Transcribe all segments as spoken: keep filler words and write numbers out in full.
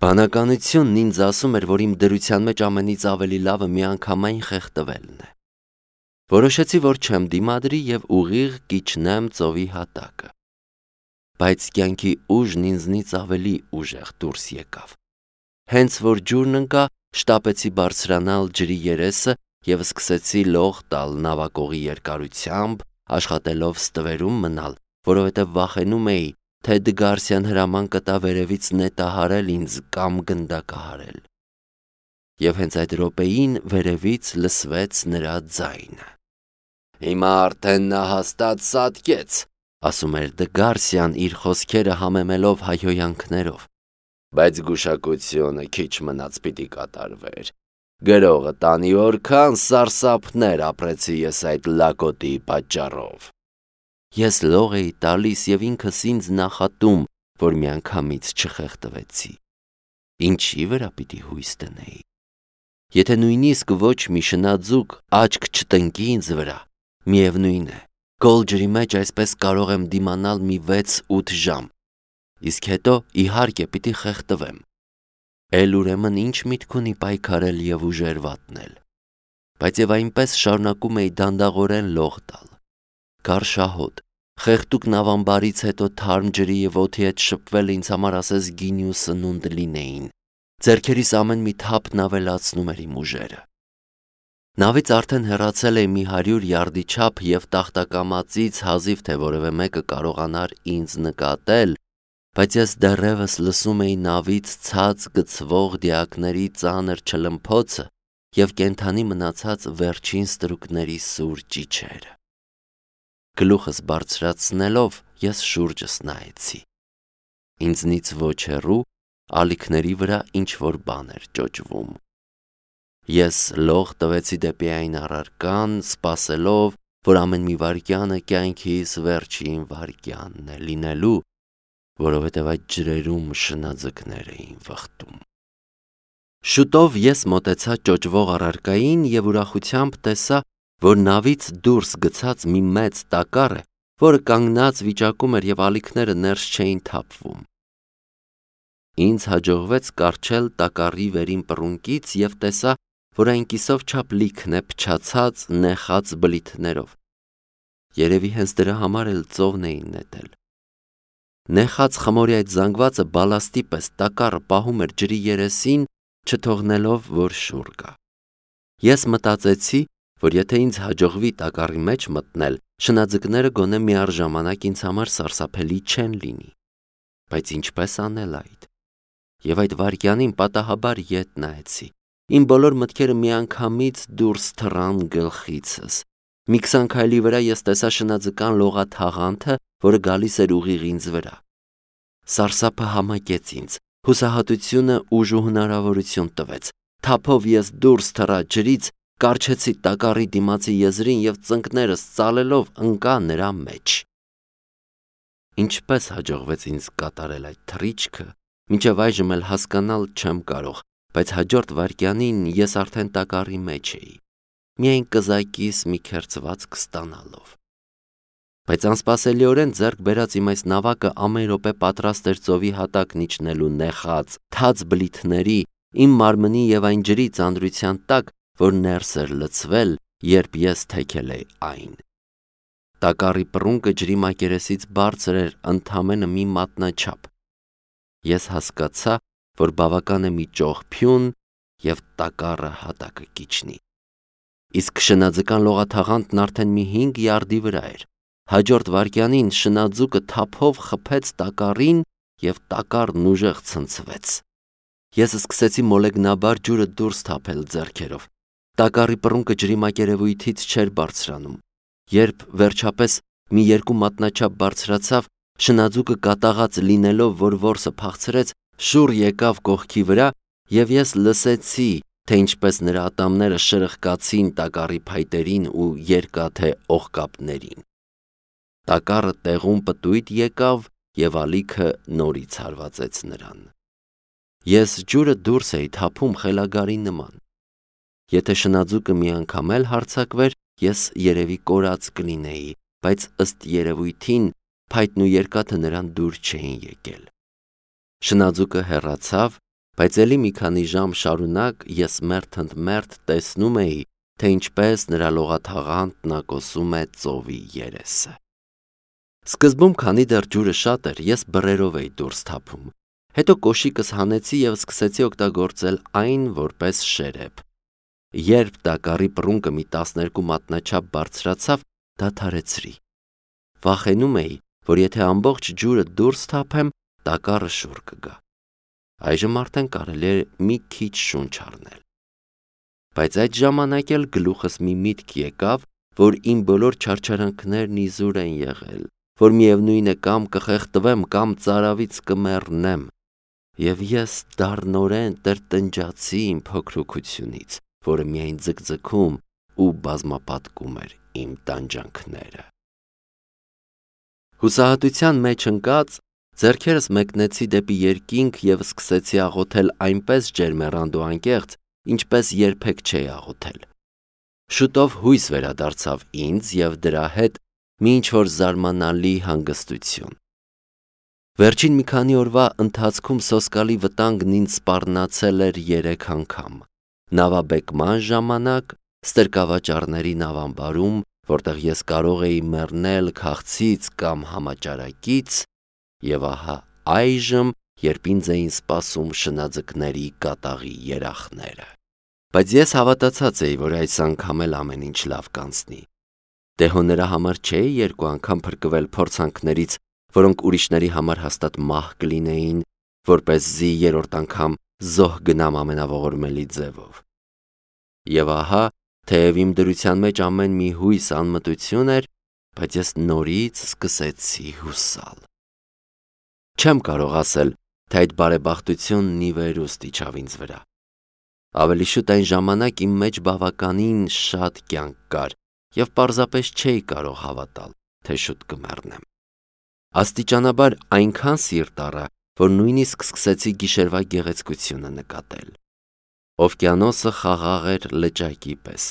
Բանականությունն ինձ ասում էր, որ իմ դրության մեջ ամենից ավելի լավը միանգամայն խեղդվելն է։ Որոշեցի, որ չեմ դիմադրի և ուղիղ կիջնեմ ծովի հատակը։ Բայց կյանքի ուժն ինձնից ավելի ուժեղ դուրս եկավ։ Հենց որ ջուրն ընկա, շտապեցի բարձրանալ ջրի երեսը և սկսեցի լող տալ նավակողի երկարությամբ, աշխատելով ստվերում մնալ, որովհետև վախենում էի, թե Դգարսյան հրաման կտա վերևից նետահարել ինձ կամ գնդակահարել։ Եվ հենց այդ րոպեին վերևից լսվեց նրա ձայնը։ «Հիմա արդեն նա հաստատ սատկեց», ասում էր Դգարսյան իր խոսքերը համեմելով հայհոյանքներով։ Բայց գուշակությունը քիչ մնաց պիտի կատարվեր։ Գրողը տանի որքան սարսափներ ապրեցի ես այդ լակոտի պատճառով։ Ես լող էի տալիս և ինքս ինձ նախատում, որ միանգամից չխեղդվեցի։ Ինչի վրա պիտի հույս դնեի։ Եթե նույնիսկ ոչ մի շնաձուկ աչք չտնկի ինձ վրա, միևնույն է, գոլ ջրի մեջ այսպես կարող եմ դիմանալ մի վեց-ութ ժամ, իսկ հետո իհարկե պիտի խեղդվեմ։ Էլ ուրեմն ինչ միտք ունի պայքարել և ուժեր վատնել։ Բայց և այնպես շարունակում էի դանդաղորեն լող տալ։ Գար շահոտ, խեղդուկ նավամբարից հետո թարմ ջրի և օդի հետ շփվել ինձ համար ասես գինի ու սնունդ լինեին։ Ձեռքերիս ամեն մի թափն ավելացնում էր իմ ուժերը։ Նավից արդեն հեռացել էի մի հարյուր յարդի չափ և տախտակամածից հազիվ թե որևէ մեկը կարողանար ինձ նկատել, բայց ես դեռևս լսում էի նավից ցած գցվող դիակների ծանր չլմփոցը և կենդանի մնացած վերջին ստրուկների սուր ճիչերը։ Գլուխս բարձրացնելով ես շուրջս նայեցի։ Ինձնից ոչ հեռու ալիքների վրա ինչ-որ բան էր ճոճվում։ Ես լող տվեցի դեպի այն առարկան, սպասելով, որ ամեն մի վայրկյանը կյանքիս վերջին վայրկյանն է լինելու, որովհետև այդ ջրերում շնաձկներ էին վխտում։ Շուտով ես մոտեցա ճոճվող առարկային և ուրախությամբ տեսա, որ նավից դուրս գցած մի մեծ տակառ է, որը կանգնած վիճակում էր և ալիքները ներս չէին թափվում։ Ինձ հաջողվեց կառչել տակառի վերին պռունկից և տեսա, որ այն կիսով չափ լիքն է փչացած, նեխած բլիթներով։ Երևի հենց դրա համար էլ ծովն էին նետել։ Նեխած խմորի այդ զանգվածը բալաստի պես տակառը պահում էր ջրի երեսին, չթողնելով, որ շուռ գա։ Ես մտածեցի, որ եթե ինձ հաջողվի տակառի մեջ մտնել, շնաձկները գոնե միառժամանակ ինձ համար սարսափելի չեն լինի։ Բայց ինչպես անել այդ։ Եվ այդ վայրկյանին պատահաբար ետ նայեցի։ Իմ բոլոր մտքերը միանգամից դուրս թռան գլխիցս։ Մի քսան քայլի վրա ես տեսա շնաձկան լողաթաղանթը, որը գալիս էր ուղիղ ինձ վրա։ Սարսափը համակեց ինձ, հուսահատությունը ուժ ու հնարավորություն տվեց։ Թափով ես դուրս թռա ջրից, կառչեցի տակառի դիմացի եզրին և ծնկներս ծալելով ընկա նրա մեջ։ Ինչպես հաջողվեց ինձ կատարել այդ թռիչքը, մինչև այժմ էլ հասկանալ չեմ կարող, բայց հաջորդ վայրկյանին ես արդեն տակառի մեջ էի, միայն կզակիս մի քերծվածք ստանալով։ Բայց անսպասելիորեն ձեռք բերած իմ այս նավակը ամեն րոպե պատրաստ էր ծովի հատակն իջնելու նեխած, թաց բլիթների, իմ մարմնի և այն ջրի ծանրության տակ, որ ներս էր լցվել, երբ ես թեքել էի այն։ Տակառի պռունկը ջրի մակերեսից բարձր էր ընդամենը մի մատնաչափ։ Ես հասկացա, որ բավական է մի ճողփյուն, և տակառը հատակը կիջնի։ Իսկ շնաձկան լողաթաղանթն արդեն մի հինգ յարդի վրա էր։ Հաջորդ վայրկյանին շնաձուկը թափով խփեց տակառին և տակառն ուժեղ ցնցվեց։ Ես սկսեցի մոլեգնաբար ջուրը դուրս թափել ձեռքերով։ Տակառի պռունկը ջրի մակերևույթից չէր բարձրանում։ Երբ վերջապես մի երկու մատնաչափ բարձրացավ, շնաձուկը կատաղած լինելով, որ որսը փախցրեց, շուռ եկավ կողքի վրա, և ես լսեցի, թե ինչպես նրա ատամները շրխկացին տակառի փայտերին ու երկաթե օղկապներին։ Տակառը տեղում պտույտ եկավ և ալիքը նորից հարվածեց նրան։ Ես ջուրը դուրս էի թափում խելագարի նման։ Եթե շնաձուկը մի անգամ էլ հարձակվեր, ես երևի կորած կլինեի, բայց ըստ երևույթին փայտն ու երկաթը նրան դուր չէին եկել։ Շնաձուկը հեռացավ Բայց ելի մի քանի ժամ շարունակ ես մերթ ընդ մերթ տեսնում էի, թե ինչպես նրա լողաթաղանթ նակոսում է ծովի երեսը։ Սկզբում, քանի դեռ ջուրը շատ էր, ես բռերով էի դուրս թափում, հետո կոշիկս հանեցի և սկսեցի օգտագործել այն որպես շերեփ։ Երբ տակառի պռունկը մի տասներկու մատնաչափ բարձրացավ, դադարեցրի։ Վախենում էի, որ եթե ամբողջ ջուրը դուրս թափեմ, տակառը շուռ կգա։ Այժմ արդեն կարելի է մի քիչ շունչ առնել։ Բայց այդ ժամանակ էլ գլուխս մի միտք եկավ, որ իմ բոլոր չարչարանքներն իզուր են եղել, որ միևնույն է կամ կխեղդվեմ, կամ ծարավից կմեռնեմ, և ես դառնորեն տրտնջացի իմ փոքրությունից, որը միայն ձգձգում ու բազմապատկում էր իմ տանջանքները։ Հուսահատության մեջ ընկած, ձեռքերս մեկնեցի դեպի երկինք և սկսեցի աղոթել այնպես ջերմեռանդ ու անկեղծ, ինչպես երբեք չէի աղոթել։ Շուտով հույս վերադարձավ ինձ և դրա հետ մի ինչ-որ զարմանալի հանգստություն։ Վերջին մի քանի օրվա ընթացքում սոսկալի վտանգն ինձ սպառնացել էր երեք անգամ։ Նավաբեկման ժամանակ, ստրկավաճառների նավամբարում, որտեղ ես կարող էի մեռնել քաղցից կամ համաճարակից, և ահա այժմ, երբ ինձ էին սպասում շնաձկների կատաղի երախները։ Բայց ես հավատացած էի, որ այս անգամ էլ ամեն ինչ լավ կանցնի։ Դե հո նրա համար չէի երկու անգամ փրկվել փորձանքներից, որոնք ուրիշների համար հաստատ մահ կլինեին, որպեսզի երրորդ անգամ զոհ գնամ ամենաողորմելի ձևով։ Եվ ահա, թեև իմ դրության մեջ ամեն մի հույս անմտություն էր, բայց ես նորից սկսեցի հուսալ։ Չեմ կարող ասել, թե այդ բարեբախտությունն ի վերուստ իջավ ինձ վրա։ Ավելի շուտ այն ժամանակ իմ մեջ բավականին շատ կյանք կար, և պարզապես չէի կարող հավատալ, թե շուտ կմեռնեմ։ Աստիճանաբար այնքան սիրտ առա, որ նույնիսկ սկսեցի գիշերվա գեղեցկությունը նկատել։ Օվկիանոսը խաղաղ էր լճակի պես։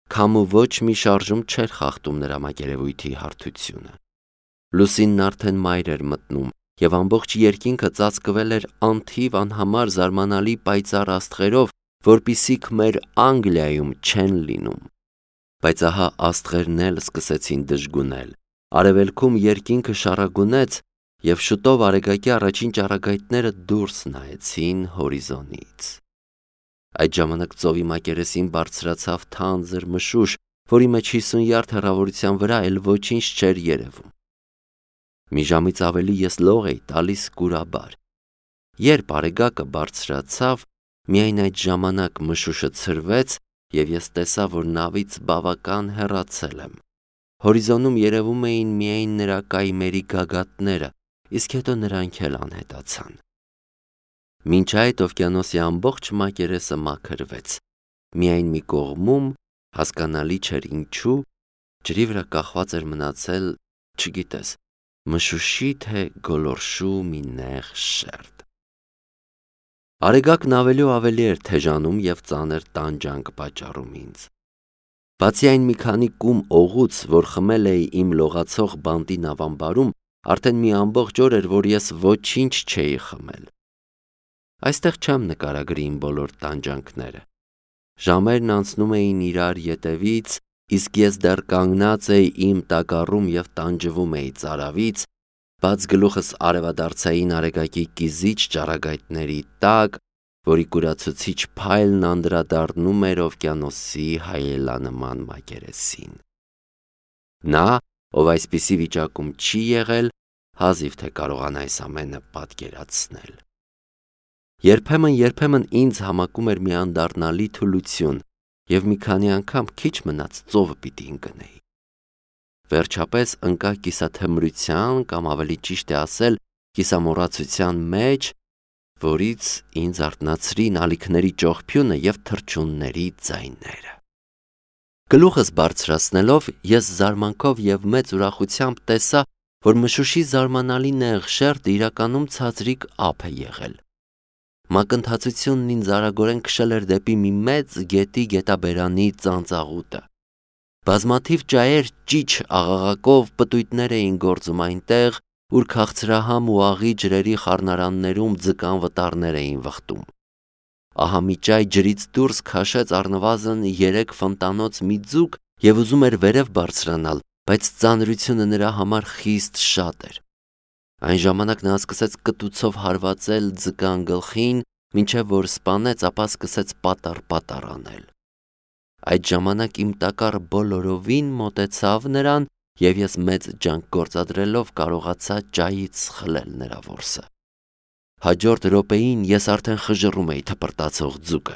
Քամու ոչ մի շարժում չէր խախտում նրա մակերևույթի հարթությունը։ Լուսինն արդեն մայր էր մտնում, և ամբողջ երկինքը ծածկվել էր անթիվ անհամար զարմանալի պայծառ աստղերով, որպիսիք մեր Անգլիայում չեն լինում։ Բայց ահա աստղերն էլ սկսեցին դժգունել, արևելքում երկինքը շառագունեց, և շուտով արեգակի առաջին ճառագայթները դուրս նայեցին հորիզոնից։ Այդ ժամանակ ծովի մակերեսին բարձրացավ թանձր մշուշ, որի մեջ հիսուն յարդ հեռավորության վրա էլ ոչինչ չէր երևում։ Մի ժամից ավելի ես լող էի տալիս կուրաբար։ Երբ արեգակը բարձրացավ, միայն այդ ժամանակ մշուշը ցրվեց, և ես տեսա, որ նավից բավական հեռացել եմ։ Հորիզոնում երևում էին միայն նրա կայմերի գագաթները, իսկ հետո նրանք էլ անհետացան։ Մինչ այդ օվկիանոսի ամբողջ մակերեսը մաքրվեց։ Միայն մի կողմում, հասկանալի չէր ինչու, ջրի վրա կախված էր մնացել, չգիտես, մշուշի թե գոլորշու մի նեղ շերտ։ Արեգակն ավելի ու ավելի էր թեժանում և ծանր տանջանք պատճառում ինձ։ Բացի այն մի քանի կում օղուց, որ խմել էի իմ լողացող բանտի նավամբարում, արդեն մի ամբողջ օր էր, որ ես ոչինչ չէի խմել։ Այստեղ չեմ նկարագրի իմ բոլոր տանջանքները։ Ժամերն անցնում էին իրար ետևից, իսկ ես դեռ կանգնած էի իմ տակառում և տանջվում էի ծարավից, բաց գլուխս արևադարձային արեգակի կիզիչ ճառագայթների տակ, որի կուրացուցիչ փայլն անդրադառնում էր օվկիանոսի հայելանման մակերեսին։ Նա, ով այսպիսի վիճակում չի եղել, հազիվ թե կարողանա այս ամենը պատկերացնել։ Երբեմն-երբեմն ինձ համակում էր մի անդառնալի թուլություն, և մի քանի անգամ քիչ մնաց ծովը պիտի ընկնեի։ Վերջապես ընկա կիսաթմրության կամ ավելի ճիշտ է ասել կիսամոռացության մեջ, որից ինձ արթնացրին ալիքների ճողփյունը և թռչունների ձայները։ Գլուխս բարձրացնելով ես զարմանքով և մեծ ուրախությամբ տեսա, որ մշուշի զարմանալի նեղ շերտը իրականում ցածրիկ ափ է եղել։ Մակընթացությունն ինձ արագորեն քշել էր դեպի մի մեծ գետի գետաբերանի ծանծաղուտը։ Բազմաթիվ ճայեր ճիչ աղաղակով պտույտներ էին գործում այնտեղ, ուր քաղցրահամ ու աղի ջրերի խառնարաններում ձկան վտարներ էին վխտում։ Ահա մի ճայ ջրից դուրս քաշեց առնվազն երեք ֆոնտանոց մի ձուկ և ուզում էր վերև բարձրանալ, բայց ծանրությունը նրա համար խիստ շատ էր։ Այն ժամանակ նա սկսեց կտուցով հարվածել ձկան գլխին, մինչև որ սպանեց, ապա սկսեց պատառ-պատառ անել։ Այդ ժամանակ իմ տակառը բոլորովին մոտեցավ նրան, և ես մեծ ջանք գործադրելով կարողացա ճայից խլել նրա որսը։ Հաջորդ րոպեին ես արդեն խժռում էի թպրտացող ձուկը։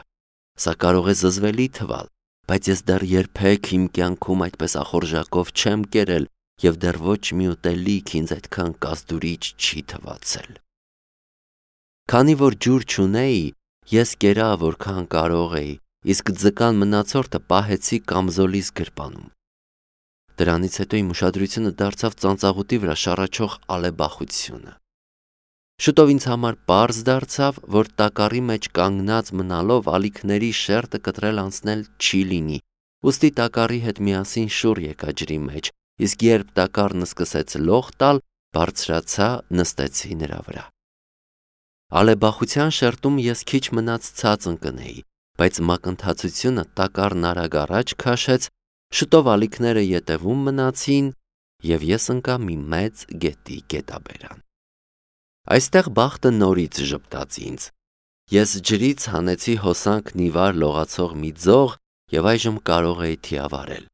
Սա կարող է զզվելի թվալ, բայց ես դեռ երբեք իմ կյանքում այդպես ախորժակով չեմ կերել և դեռ ոչ մի ուտելիք ինձ այդքան կազդուրիչ չի թվացել։ Քանի որ ջուր չունեի, ես կերա որքան կարող էի, իսկ ձկան մնացորդը պահեցի կամզոլիս գրպանում։ Դրանից հետո իմ ուշադրությունը դարձավ ծանծաղուտի վրա շառաչող ալեբախությունը։ Շուտով ինձ համար պարզ դարձավ, որ տակառի մեջ կանգնած մնալով ալիքների շերտը կտրել անցնել չի լինի, ուստի տակառի հետ միասին շուռ եկա ջրի մեջ, իսկ երբ տակառն սկսեց լող տալ, բարձրացա, նստեցի նրա վրա։ Ալեբախության շերտում ես քիչ մնաց ցած ընկնեի, բայց մակընթացությունը տակառն արագ առաջ քաշեց, շուտով ալիքները ետևում մնացին, և ես ընկա մի մեծ գետի գետաբերան։ Այստեղ բախտը նորից ժպտաց ինձ։ Ես ջրից հանեցի հոսանքն ի վար լողացող մի ձող և այժմ կարող էի թիավարել։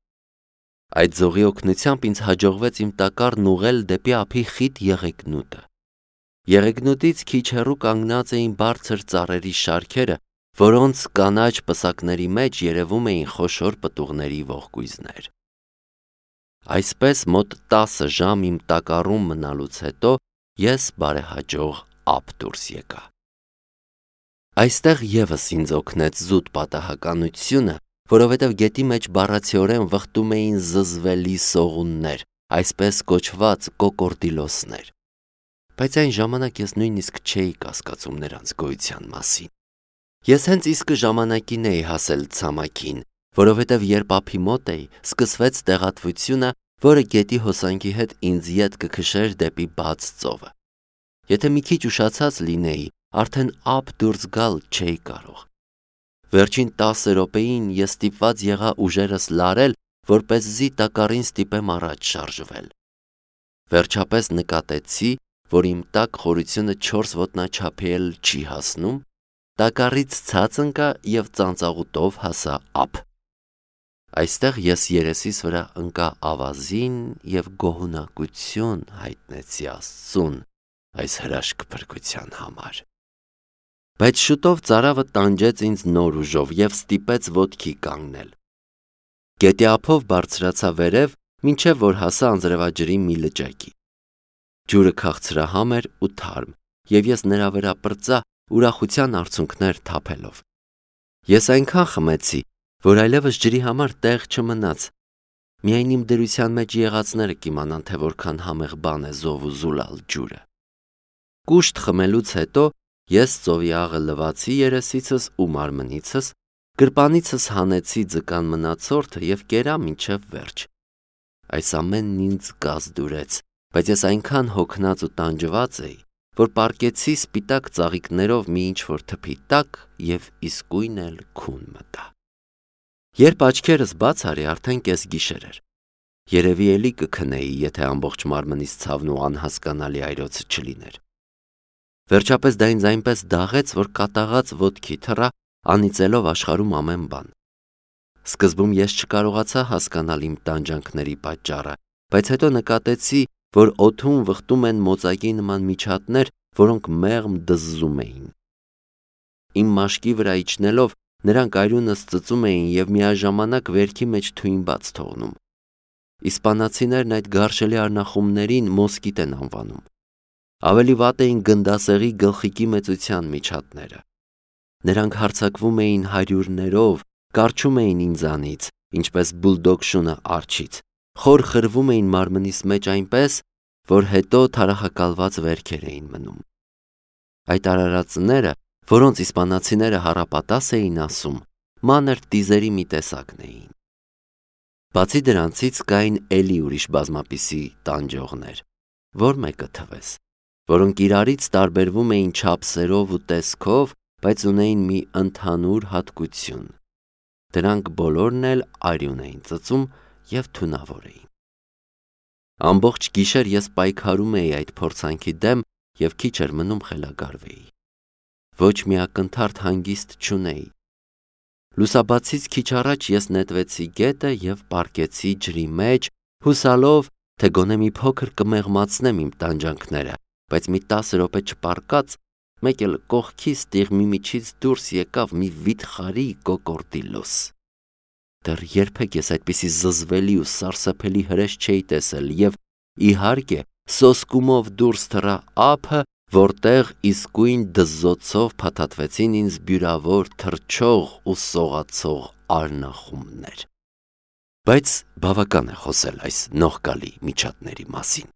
Այդ ձողի օգնությամբ ինձ հաջողվեց իմ տակառն ուղղել դեպի ափի խիտ եղեգնուտը։ Եղեգնուտից քիչ հեռու կանգնած էին բարձր ծառերի շարքերը, որոնց կանաչ պսակների մեջ երևում էին խոշոր պտուղների ողկույզներ։ Այսպես մոտ տասը ժամ իմ տակառում մնալուց հետո ես բարեհաջող ափ դուրս եկա։ Այստեղ ևս ինձ օգնեց զուտ պատահականությունը, որովհետև գետի մեջ բառացիորեն վխտում էին զզվելի սողուններ, այսպես կոչված կոկորդիլոսներ։ Բայց այն ժամանակ ես նույնիսկ չէի կասկածում նրանց գոյության մասին։ Ես հենց իսկ ժամանակին էի հասել ցամաքին, որովհետև երբ ափի մոտ էի, սկսվեց տեղատվությունը, որը գետի հոսանքի հետ ինձ ետ կքշեր դեպի բաց ծովը։ Եթե մի քիչ ուշացած լինեի, արդեն ափ դուրս գալ չէի կարող։ Վերջին տասը րոպեին ես ստիպված եղա ուժերս լարել, որպեսզի տակառին ստիպեմ առաջ շարժվել։ Վերջապես նկատեցի, որ իմ տակ խորությունը չորս ոտնաչափի էլ չի հասնում, տակառից ցած ընկա և ծանծաղուտով հասա ափ։ Այստեղ ես երեսիս վրա ընկա ավազին և գոհունակություն հայտնեցի Աստծուն այս հրաշք փրկության համար։ Բայց շուտով ծարավը տանջեց ինձ նոր ուժով և ստիպեց ոտքի կանգնել։ Գետի ափով բարձրացա վերև, մինչև որ հասա անձրևաջրի մի լճակի։ Ջուրը քաղցրահամ էր ու թարմ, և ես նրա վրա պրծա, ուրախության արցունքներ թափելով։ Ես այնքան խմեցի, որ այլևս ջրի համար տեղ չմնաց։ Միայն իմ դրության մեջ եղածները կիմանան, թե որքան համեղ բան է զով ու զուլալ ջուրը։ Կուշտ խմելուց հետո ես ծովի աղը լվացի երեսիցս ու մարմնիցս, գրպանիցս հանեցի ձկան մնացորդը և կերա մինչև վերջ։ Այս ամենն ինձ կազդուրեց, բայց ես այնքան հոգնած ու տանջված էի, որ պառկեցի սպիտակ ծաղիկներով մի ինչ-որ թփի տակ և իսկույն էլ քուն մտա։ Երբ աչքերս բաց արի, արդեն կեսգիշեր էր։ Երևի էլի կքնեի, եթե ամբողջ մարմնիս ցավն ու անհասկանալի այրոցը չլիներ։ Վերջապես դա ինձ այնպես դաղեց, որ կատաղած ոտքի թռա, անիծելով աշխարհում ամեն բան։ Սկզբում ես չկարողացա հասկանալ իմ տանջանքների պատճառը, բայց հետո նկատեցի, որ օդում վխտում են մոծակի նման միջատներ, որոնք մեղմ դզզում էին։ Իմ մաշկի վրա իջնելով, նրանք այրունս ծծում էին և միաժամանակ վերքի մեջ թույն բաց թողնում։ Իսպանացիներն այդ գարշելի արնախումներին մոսկիտ են անվանում։ Ավելի վատ էին գնդասեղի գլխիկի մեծության միջատները։ Նրանք հարձակվում էին հարյուրներով, կառչում էին ինձանից, ինչպես բուլդոգ շունը արջից, խոր խրվում էին մարմնիս մեջ այնպես, որ հետո թարախակալված վերքեր էին մնում։ Այդ արարածները, որոնց իսպանացիները հառապատաս էին ասում, մանր տիզերի մի տեսակն էին։ Բացի դրանցից կային էլի ուրիշ բազմապիսի տանջողներ։ որ մեկը թվես, որոնք իրարից տարբերվում էին չափսերով ու տեսքով, բայց ունեին մի ընդհանուր հատկություն. դրանք բոլորն էլ արյուն էին ծծում և թունավոր էին։ Ամբողջ գիշեր ես պայքարում էի այդ փորձանքի դեմ և քիչ էր մնում խելագարվեի։ Ոչ մի ակնթարթ հանգիստ չունեի։ Լուսաբացից քիչ առաջ ես նետվեցի գետը և պառկեցի ջրի մեջ, հուսալով, թե գոնե մի փոքր կմեղմացնեմ իմ տանջանքները, բայց մի տասը րոպե չպառկած, մեկ էլ կողքիս տիղմի միջից դուրս եկավ մի վիթխարի կոկորդի լույս։ Դեռ երբեք ես այդպիսի զզվելի ու սարսափելի հրեշ չէի տեսել և, իհարկե, սոսկումով դուրս թռա ափը, որտեղ իսկույն դզզոցով փաթաթվեցին ինձ բյուրավոր թռչող ու սողացող արնախումբներ։ Բայց բավական է խոսել այս նողկալի միջատների մասին։